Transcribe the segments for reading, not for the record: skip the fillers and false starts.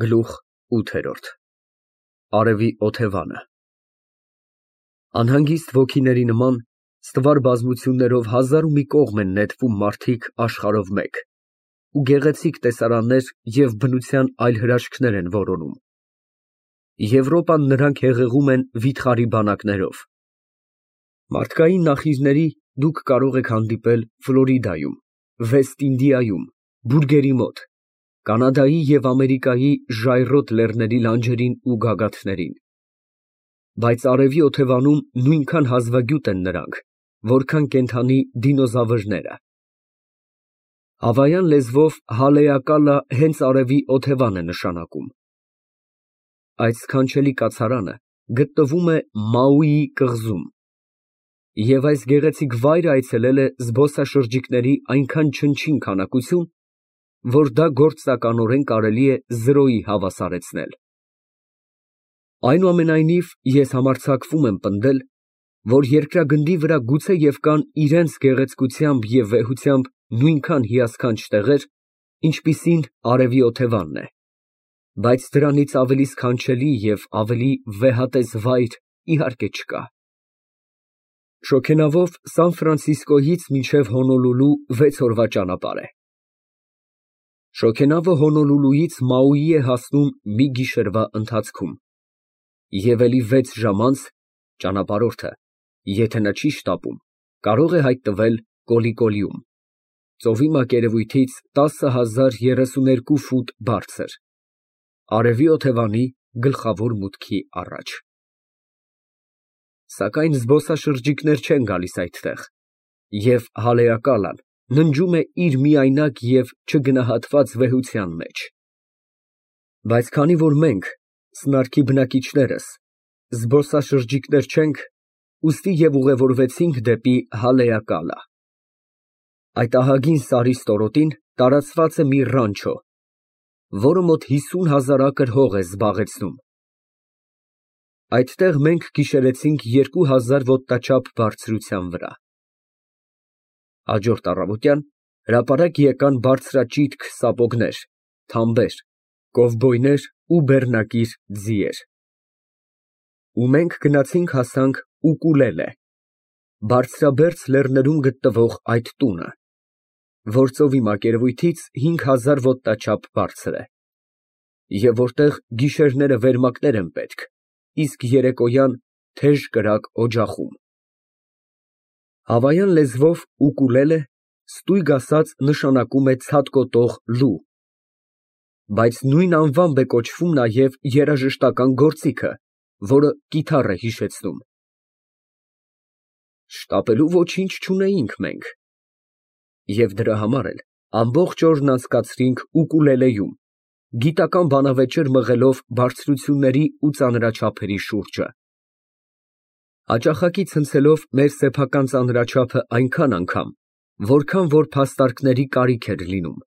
Գլուխ 8 Արևի օթևանը Անհանգիստ ոգիների նման ստվար բազմություններով հազար ու մի կողմ են նետվում մարդիկ աշխարհով մեկ, ու գեղեցիկ տեսարաններ և բնության այլ հրաշքներ են որոնում։ Եվրոպան նրանք հեղեղում են վիթխարի բանակներով։ Մարդկային նախիրների դուք կարող եք հանդիպել Ֆլորիդայում, Վեստ Ինդիայում, բուրգերի մոտ, Կանադայի և Ամերիկայի ժայռոտ լեռների լանջերին ու գագաթներին, բայց արևի օթևանում նույնքան հազվագյուտ են նրանք, որքան կենդանի դինոզավրները։ Հավայան լեզվով հալեակալա հենց արևի օթևան է նշանակում։ Այդ սքանչելի կացարանը գտնվում է Մաուիի կղզում, և այս գեղեցիկ վայրը այցելել է զբոսաշրջիկների այնքան չնչին քանակություն, որ դա գործնականորեն կարելի է 0-ի հավասարեցնել։ Այնուամենայնիվ, ես համարձակվում եմ պնդել, որ երկրագնդի վրա գուցե և կան իրենց գեղեցկությամբ և վեհությամբ նույնքան հիասքանչ տեղեր, ինչպիսին արևի օթևանն է, բայց դրանից ավելի սքանչելի և ավելի վեհատես վայր, իհարկե, չկա։ Շոգենավով Սան Ֆրանցիսկոյից մինչև Հոնոլուլու 6 օրվա ճանապարհ է։ Շոգենավը Հոնոլուլուից Մաուի է հասնում մի գիշերվա ընթացքում, և էլի 6 ժամ անց ճանապարհորդը, եթե նա չի շտապում, կարող է հայտնվել Կոլիկոլիում, ծովի մակերևույթից 10,032 ֆուտ բարձր, արևի օթևանի գլխավոր մուտքի առաջ։ Սակայն զբոսաշրջիկներ չեն գալիս այդտեղ, և հալեակալան ննջում է իր միայնակ և չգնահատված վեհության մեջ։ Բայց քանի որ մենք, սնարքի բնակիչներս, զբոսաշրջիկներ չենք, ուստի և ուղևորվեցինք դեպի Հալեակալա։ Այդ ահագին սարի ստորոտին տարածված է մի ռանչո, որը մոտ 50,000 ակր հող է զբաղեցնում։ Այդտեղ մենք գիշերեցինք 2000 ոտնաչափ բարձրության վրա։ Հաջորդ առավոտյան հրապարակ եկան բարձրաճիտ սապոգներ, թամբեր, կովբոյներ ու բեռնակիր ձիեր։ Ու մենք գնացինք հասանք Ուկուլելե, բարձրաբերձ լեռներում գտնվող այդ տունը, որ ծովի մակերևույթից 5000 ոտնաչափ բարձր է, և որտեղ գիշերները վերմակներ են պետք, իսկ երեկոյան թեժ կրակ օջախում։ Հավայան լեզվով ուկուլելե ստույգ ասած նշանակում է ցատկոտող լու, բայց նույն անվամբ է կոչվում նաև երաժշտական գործիքը, որը կիթառ է հիշեցնում։ Շտապելու ոչինչ չունեինք մենք, և դրա համար էլ ամբողջ օրն անցկացրինք ուկուլելեում, գիտական բանավեճեր մղելով բարձրությունների ու ծանրաչափերի շուրջը, հաճախակի ցնցելով մեր սեփական ծանրաչափը այնքան անգամ, որքան որ փաստարկների կարիք էր լինում։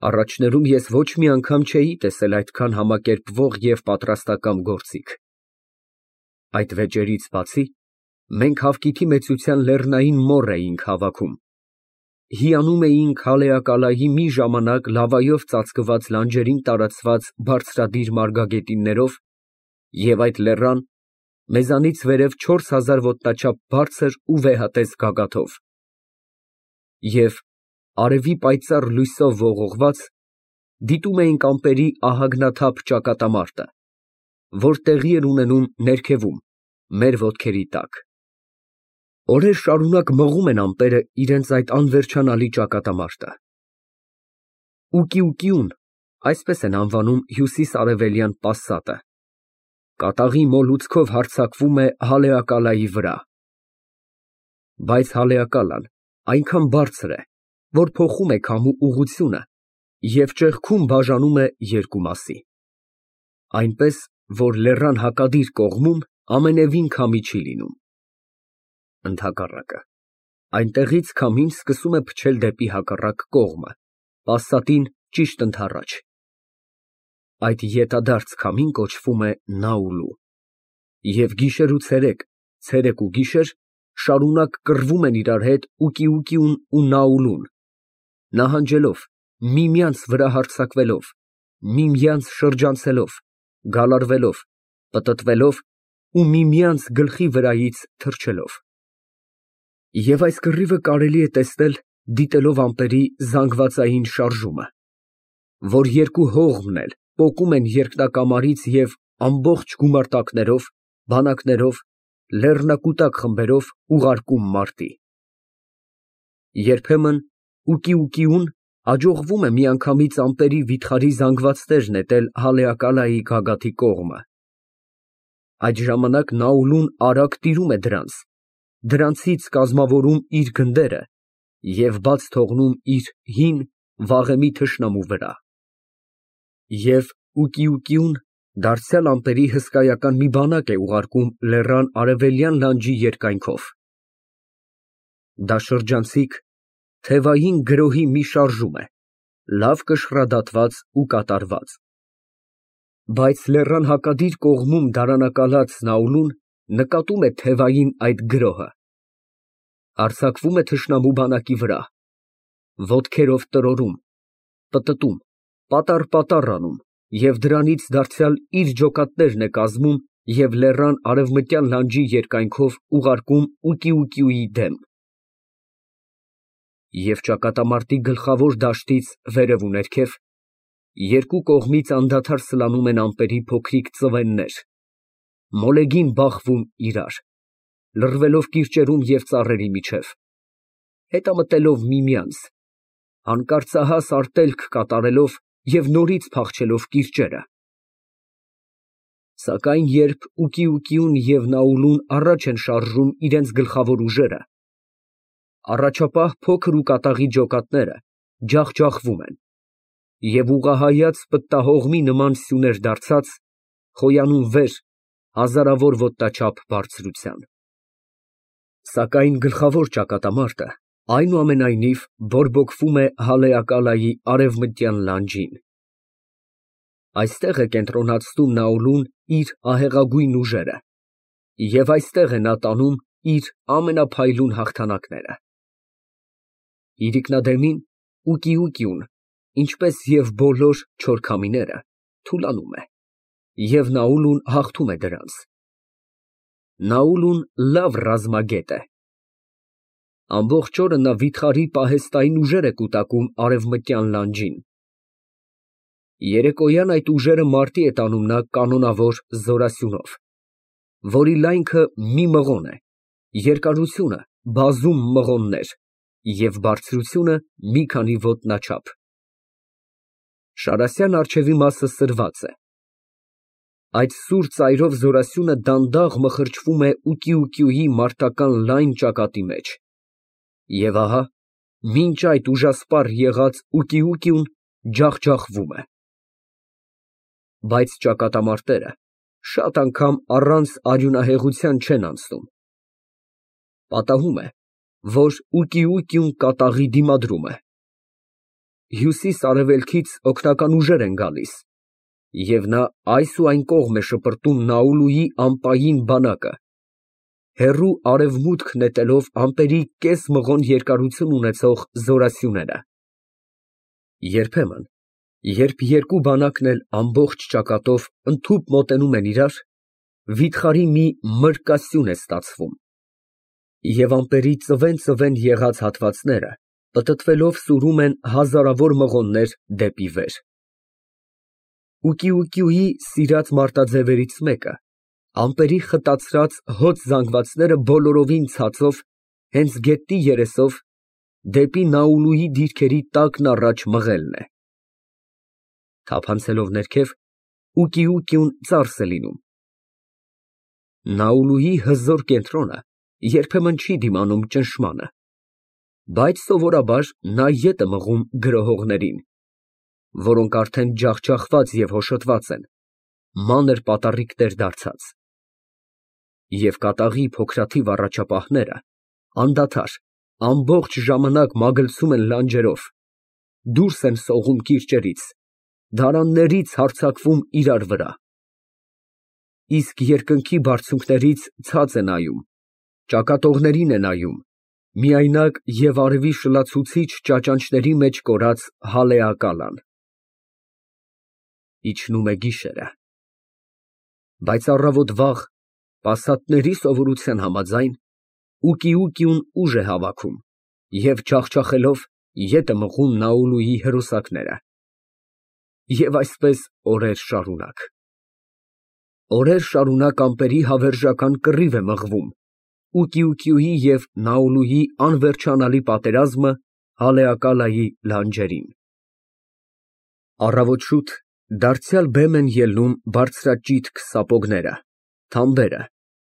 Առաջներում ես ոչ մի անգամ չէի տեսել այդքան համակերպվող և պատրաստակամ գործիք։ Այդ վեճերից բացի, մենք հավկիթի մեծության լեռնային մոռ էինք հավաքում, հիանում էինք Հալեակալայի մի ժամանակ լավայով ծածկված լանջերին տարածված բարձրադիր մարգագետիններով և այդ լեռան մեզանից վերև 4000 ոտնաչափ բարձր ու վեհատես գագաթով, և արևի պայծառ լույսով ողողված դիտում էինք ամպերի ահագնաթափ ճակատամարտը, որ տեղի էր ունենում ներքևում, մեր ոտքերի տակ։ Օրեր շարունակ մղում են ամպերը իրենց այդ անվերջանալի ճակատամարտը։ Ուկիուկիուն, այսպես են անվանում հյուսիս֊արևելյան պասատը, կատաղի մոլուցքով հարձակվում է Հալեակալայի վրա։ Բայց Հալեակալան այնքան բարձր է, որ փոխում է քամու ուղղությունը և ճեղքում բաժանում է երկու մասի, այնպես, որ լեռան հակադիր կողմում ամենևին քամի չի լինում։ Ընդհակառակը, այնտեղից քամին սկսում է փչել դեպի հակառակ կողմը, պասատին ճիշտ ընդառաջ։ Այդ ետադարձ քամին կոչվում է Նաուլու, և գիշեր ու ցերեկ, ցերեկ ու գիշեր շարունակ կռվում են իրար հետ Ուկիուկիուն ու Նաուլուն, նահանջելով, միմյանց վրա հարձակվելով, միմյանց շրջանցելով, գալարվելով, պտտվելով ու միմյանց գլխի վրայից թռչելով։ Եվ այս կռիվը կարելի է տեսնել, դիտելով ամպերի զանգվածային շարժումը, որ երկու հողմն էլ պոկում են երկնակամարից և ամբողջ գումարտակներով, բանակներով, լեռնակուտակ խմբերով ուղարկում մարտի։ Երբեմն ուկիուկիուն հաջողվում է միանգամից ամպերի վիթխարի զանգվածներ նետել հալեակալայի գագաթի կողմը։ Այդ ժամանակ Նաուլուն արագ տիրում է դրանցից կազմավորում իր գնդերը և բաց թողնում իր հին, վաղեմի թշնամու վրա։ Եվ ուկիուկիուն դարձյալ ամպերի հսկայական մի բանակ է ուղարկում լեռան արևելյան լանջի երկայնքով։ Դա շրջանցիկ, թևային գրոհի մի շարժում է, լավ կշռադատված ու կատարված։ Բայց լեռան հակադիր կողմում դարանակալած Նաուլուն նկատում է թևային այդ գրոհը, հարձակվում է թշնամու բանակի վրա, ոտքերով տրորում, պտտում, պատառ անում և դրանից դարձյալ իր ջոկատներն է կազմում և լեռան արևմտյան լանջի երկայնքով ուղարկում ուկիուկիուի դեմ։ Եվ ճակատամարտի գլխավոր դաշտից վերև ու ներքև, երկու կողմից անդադար սլանում են ամպերի փոքրիկ ծվեններ, մոլեգին բախվում իրար, լռվելով կիրճերում և ծառերի միջև, հետամտելով միմյանց, հանկարծահաս արտելք կատարելով և նորից փախչելով կիրճերը։ Սակայն երբ ուկիուկիուն և Նաուլուն առաջ են շարժում իրենց գլխավոր ուժերը, առաջապահ փոքր ու կատաղի ջոկատները ջախջախվում են և ուղղահայաց պտտահողմի նման սյուներ դարձած, խոյանում վեր հազարավոր ոտնաչափ բարձրության։ Սակայն գլխավոր ճակատամարտը այնուամենայնիվ բորբոքվում է հալեակալայի արևմտյան լանջին։ Այստեղ է կենտրոնացնում Նաուլուն իր ահեղագույն ուժերը և այստեղ է նա տանում իր ամենափայլուն հաղթանակները։ Իրիկնադեմին ուկիուկիուն, ինչպես և բոլոր չոր քամիները, թուլանում է, և Նաուլուն հաղթում է դրանց։ Նաուլուն լավ ռազմագետ է։ Ամբողջ օրը նա վիթխարի պահեստային ուժեր է կուտակում արևմտյան լանջին։ Երեկոյան այդ ուժերը մարտի է տանում նա կանոնավոր զորասյունով, որի լայնքը մի մղոն է, երկարությունը բազում մղոններ և բարձրությունը մի քանի ոտնաչափ։ Շարասյան առջևի մասը սրված է։ Այդ սուր ծայրով զորասյունը դանդաղ մխրճվում է ուկիուկիուի մարտական լայն ճակատի մեջ։ Եվ ահա, մինչ այդ ուժասպառ եղած ուկիուկիուն ջախջախվում է։ Բայց ճակատամարտերը շատ անգամ առանց արյունահեղության չեն անցնում։ Պատահում է, որ ուկիուկիուն կատաղի դիմադրում է։ Հյուսիս֊արևելքից օգնական ուժեր են գալիս, և նա այս ու այն կողմ է շպրտում Նաուլուի ամպային բանակը, հեռու արևմուտք նետելով ամպերի կես մղոն երկարություն ունեցող զորասյուները։ Երբեմն, երբ երկու բանակն էլ ամբողջ ճակատով ընդհուպ մոտենում են իրար, վիթխարի մի մրրկասյուն է ստացվում, և ամպերի ծվեն եղած հատվածները պտտվելով սուրում են հազարավոր մղոններ դեպի վեր։ Ուկիուկիուի սիրած մարտաձևերից մեկը, ամպերի խտացրած հոծ զանգվածները բոլորովին ցածով, հենց գետնի երեսով, դեպի Նաուլուի դիրքերի տակն առաջ մղելն է։ Թափանցելով ներքև, ուկիուկիուն ծարս է լինում։ Նաուլուի հզոր կենտրոնը երբեմն չի դիմանում ճնշմանը, բայց սովորաբար նա ետ է մղում գրոհողներին, որոնք արդեն ջախջախված և հոշոտված են, մանր պատառիկներ դարձած։ Եվ կատաղի փոքրաթիվ առաջապահները անդադար, ամբողջ ժամանակ մագլցում են լանջերով, դուրս են սողում կիրճերից, դարաններից հարձակվում իրար վրա, իսկ երկնքի բարձունքներից ցած է նայում, ճակատողներին է նայում, միայնակ և արևի շլացուցիչ ճաճանճների մեջ կորած հալեակալան։ իջնում է գիշերը։ Բայց առավոտ վաղ, պասատների սովորության համաձայն, ուկիուկիուն ուժ է հավաքում և ջախջախելով ետ է մղում Նաուլուի հրոսակները։ Եվ այսպես օրեր շարունակ։ Օրեր շարունակ ամպերի հավերժական կռիվ է մղվում, ուկիուկիուի և Նաուլուի անվերջանալի պատերազմը Հալեակալայի լանջերին։ Առավոտ շուտ դարձյալ բեմ են ելնում բարձրաճիտ սապոգները, թամբերը,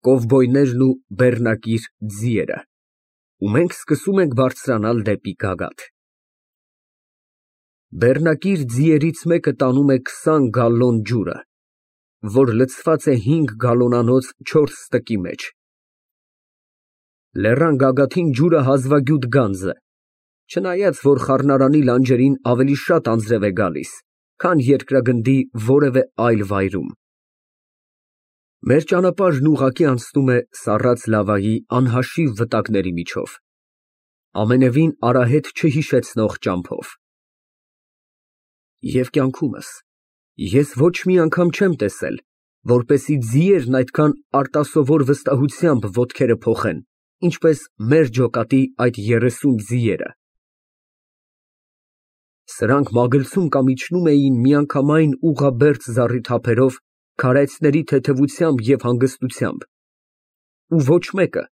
կովբոյներն ու բեռնակիր ձիերը, ու մենք սկսում ենք բարձրանալ դեպի գագաթ։ Բեռնակիր ձիերից մեկը տանում է 20 գալլոն ջուրը, որ լցված է 5 գալլոնանոց 4 ստկի մեջ։ Լեռան գագաթին ջուրը հազվագյուտ գանձ է, չնայած որ խառնարանի լանջերին ավելի շատ անձրև է գալիս, քան երկրագնդի որևէ այլ վայրում։ Մեր ճանապարհն ուղղակի անցնում է սառած լավայի անհաշիվ վտակների միջով, ամենևին արահետ չհիշեցնող ճամփով։ Եվ կյանքումս ես ոչ մի անգամ չեմ տեսել, որպեսզի ձիերն այդքան արտասովոր վստահությամբ ոտքերը փոխեն, ինչպես մեր ջոկատի այդ 30 ձիերը։ Սրանք մագլցում կամ իջնում էին միանգամայն ուղղաբերդ զառիթափերով, քարայծների թեթևությամբ և հանգստությամբ, ու ոչ մեկը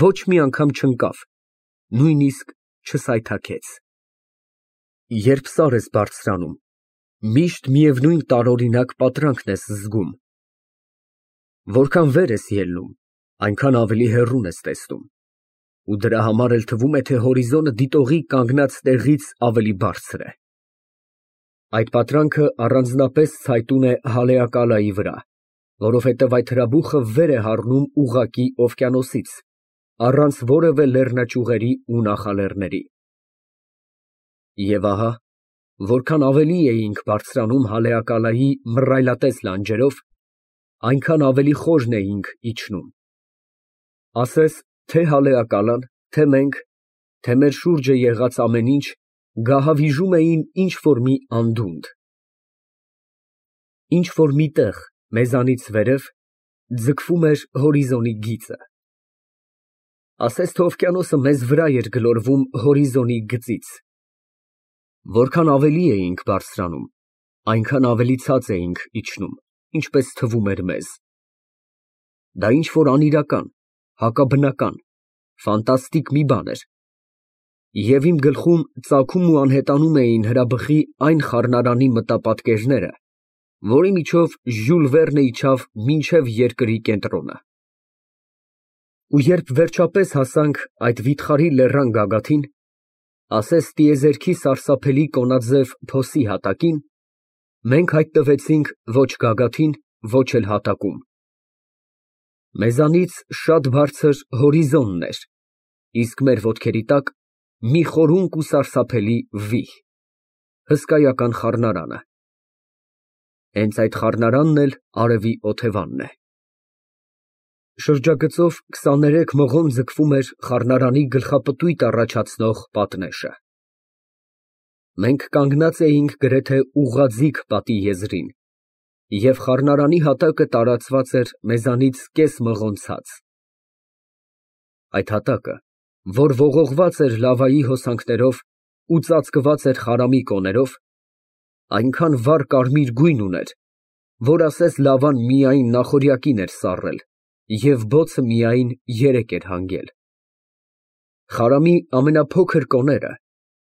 ոչ մի անգամ չընկավ, նույնիսկ չսայթաքեց։ Երբ սար ես բարձրանում, միշտ միևնույն տարօրինակ պատրանքն ես զգում։ Որքան վեր ես ելնում, այնքան ավելի հեռուն ես տեսնում, ու դրա համար էլ թվում է, թե հորիզոնը դիտողի կանգնած տեղից ավելի բարձր է։ Այդ պատրանքը առանձնապես ցայտուն է Հալեակալայի վրա, որովհետև այդ հրաբուխը վեր է հառնում ուղղակի օվկիանոսից, առանց որևէ լեռնաճյուղերի ու նախալեռների։ Եվ ահա, որքան ավելի էինք բարձրանում Հալեակալայի մռայլատես լանջերով, այնքան ավելի խորն էինք իջնում։ Ասես թե Հալեակալան, թե մենք, թե մեր շուրջը եղած ամեն ինչ գահավիժում էին ինչ֊որ մի անդունդ։ Ինչ֊որ մի տեղ մեզանից վերև ձգվում էր հորիզոնի գիծը։ Ասես թե օվկիանոսը մեզ վրա էր գլորվում հորիզոնի գծից։ Որքան ավելի էինք բարձրանում, այնքան ավելի ցած էինք իջնում, ինչպես թվում էր մեզ։ Դա ինչ֊որ անիրական, հակաբնական, ֆանտաստիկ մի բան էր։ Եվ իմ գլխում ծագում ու անհետանում էին հրաբխի այն խառնարանի մտապատկերները, որի միջով Ժյուլ Վերնը իջավ մինչև երկրի կենտրոնը։ Ու երբ վերջապես հասանք այդ վիթխարի լեռան գագաթին, ասես տիեզերքի սարսափելի կոնաձև փոսի հատակին, մենք հայտնվեցինք ոչ գագաթին, ոչ էլ հատակում։ Մեզանից շատ բարձր հորիզոնն էր, իսկ մեր ոտքերի տակ մի խորունկ ու սարսափելի վիհ, հսկայական խառնարանը։ Հենց այդ խառնարանն էլ արևի օթևանն է։ Շրջագծով 23 մղոն ձգվում էր խառնարանի գլխապտույտ առաջացնող պատնեշը։ Մենք կանգնած էինք գրեթե ուղղաձիգ պատի եզրին, և խառնարանի հատակը տարածված էր մեզանից կես մղոն ցած։ Այդ հատակը, որ ողողված էր լավայի հոսանքներով ու ծածկված էր խարամի կոներով, այնքան վառ կարմիր գույն ուներ, որ ասես լավան միայն նախօրյակին էր սառել և բոցը միայն երեկ էր հանգել։ Խարամի ամենափոքր կոները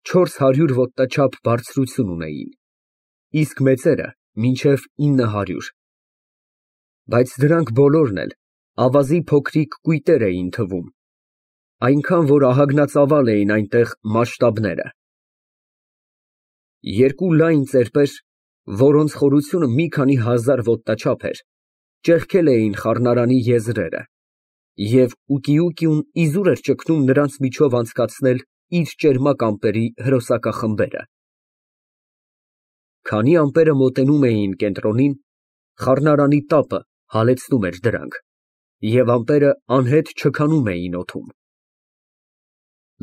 400 ոտնաչափ բարձրություն ունեին, իսկ մեծերը մինչև 900, բայց դրանք բոլորն էլ ավազի փոքրիկ կույտեր էին թվում, այնքան որ ահագնածավալ էին այնտեղ մասշտաբները։ Երկու լայն ծեպեր, որոնց խորությունը մի քանի հազար ոտնաչափ էր, ճեղքել էին խառնարանի եզրերը, և ուկիուկիուն իզուր էր ճգնում նրանց միջով անցկացնել իր ճերմակ ամպերի հրոսակախմբերը։ Քանի ամպերը մոտենում էին կենտրոնին, խառնարանի տապը հալեցնում էր դրանք, և ամպերը անհետ չքանում էին օդում։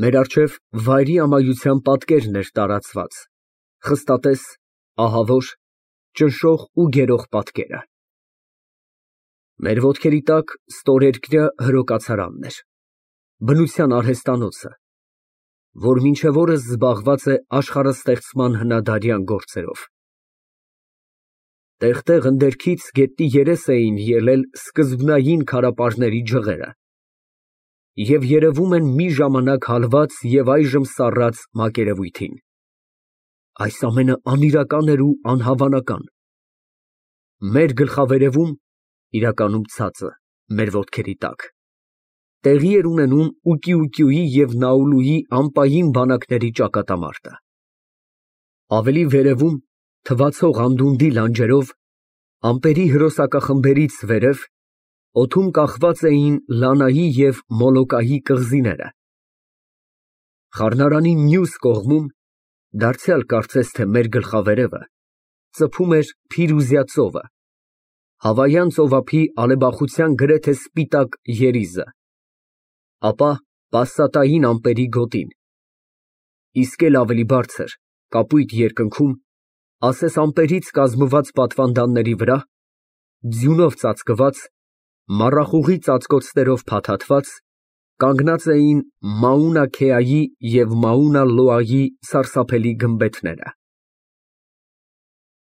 Մեր առջև վայրի ամայության պատկերն էր տարածված, խստատես, ահավոր, ճնշող ու գերող պատկերը։ Մեր ոտքերի տակ ստորերկրյա հրոկացարանն էր, բնության արհեստանոցը, որ մինչև օրս զբաղված է աշխարհաստեղծման հնադարյան գործերով։ Տեղ-տեղ ընդերքից գետնի երես էին ելել սկզբնային քարապարների ջղերը և երևում են մի ժամանակ հալված և այժմ սառած մակերևույթին։ Այս ամենը անիրական էր ու անհավանական։ Մեր գլխավերևում, իրականում ցածը, մեր ոտքերի տակ, տեղի էր ունենում Ուկիուկիուի և Նաուլուի անպային բանակների ճակատամարտը։ Ավելի վերևում, թվացող անդունդի լանջերով, ամպերի հրոսակախմբերից վերև, օդում կախված էին Լանայի և Մոլոկայի կղզիները։ Խառնարանի մյուս կողմում, դարձյալ կարծես թե մեր գլխավերևը, ծփում էր Փիրուզյա ծովը, Հավայան ծովափի ալեբախության գրեթե սպիտակ երիզը, ապա պասատային ամպերի գոտին, իսկ էլ ավելի բարձր, կապույտ երկնքում, ասես ամպերից կազմված պատվանդանների վրա, ձյունով ծածկված, մառախուղի ծածկոցներով փաթաթված, կանգնած էին Մաունա Քեայի և Մաունա Լոայի սարսափելի գմբեթները։